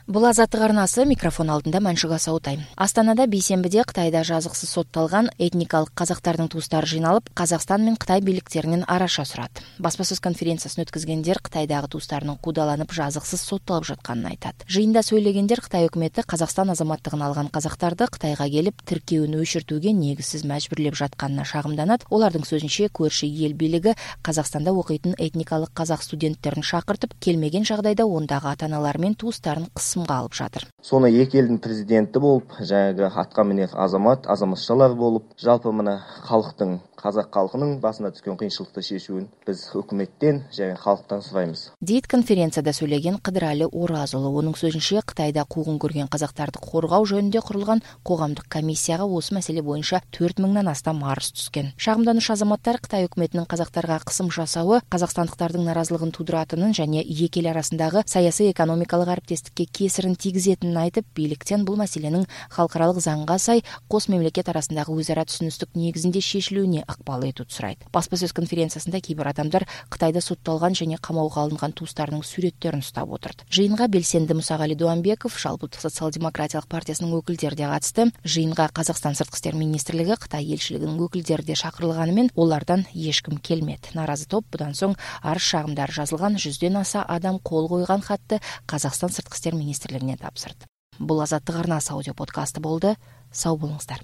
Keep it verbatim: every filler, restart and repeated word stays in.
Бул Азаттык арнасы, микрофон алдында Маншук Асаутай. Астанада бейсенбиде Кытайда жазыксыз сотталган этникалык казактардын туустары жыйналып, Казакстан менен Кытай бийликтеринин араша сурат. Баспасөз конференциясын өткөзгендер Кытайдагы туустарынын куудаланып жазыксыз соттолуп жатканын айтат. Жыйында сөйлөгендер Кытай өкмөтү Казакстан азаматтыгын алган казактарды Кытайга келип тиркөөнү өчүртүүгө негизсиз мажбүрлөп жатканына шагымданат. Олардын сөзүнчө, көршү эл бийлиги Казакстанда окуйтун этникалык казак студенттерин шакыртып, келмеген жагдайда ондагы ата-аналар менен туустарын кысымга алып жатыр. Сону эки элдин президенти болуп, жанагы атка минер азамат, азаматчалар болуп, жалпы мына калктын, казак калкынын басына түшкөн кыйынчылыкты чечүүн биз өкмөттөн жана калктан сурайбыз. Дейт конференцияда сөйлөгөн Кыдырали Оразулу. Онун сөзүнчө, Кытайда куугун көргөн казактарды коргоо жөнүндө курулган коомдук комиссияга осы маселе боюнча төрт миңден астам арыз түшкөн. Шагымдануучу азаматтар Кытай өкмөтүнүн казактарга кысым жасабы казакстандыктардын наразылыгын тудуратынын жана эки эл арасындагы саясий экономикалык аракеттештикке кесирин тийгизетинин айтып, бийликтен бул маселенин халкыралык заңга сай кос мамлекет арасындагы өз ара түшүнүстүк негизинде шешилүүнү акбал этүүнү сурайт. Баспасөз конференциясында кээ бир адамдар Кытайда соттолгон жана камоого алынган туустарынын сүрөттөрүн уштап отурат. Жыйынга белсенди Мусагали Дуамбеков, Жалпылык социал-демократиялык партиясынын өкүлдери да катышты. Жыйынга Казакстан сырткы иштер министрлиги, Кытай элчилигинин өкүлдери да чакырылганы менен олардан эч ким келмedi. Наразы топ будан соң арыз шагымдар жазылган жүздөн аса адам кол койгон хатты Казакстан сырткы иштер министрлигине тапсырды. Бул Азаттык арнасы аудио подкасты болду. Сау болуңуздар.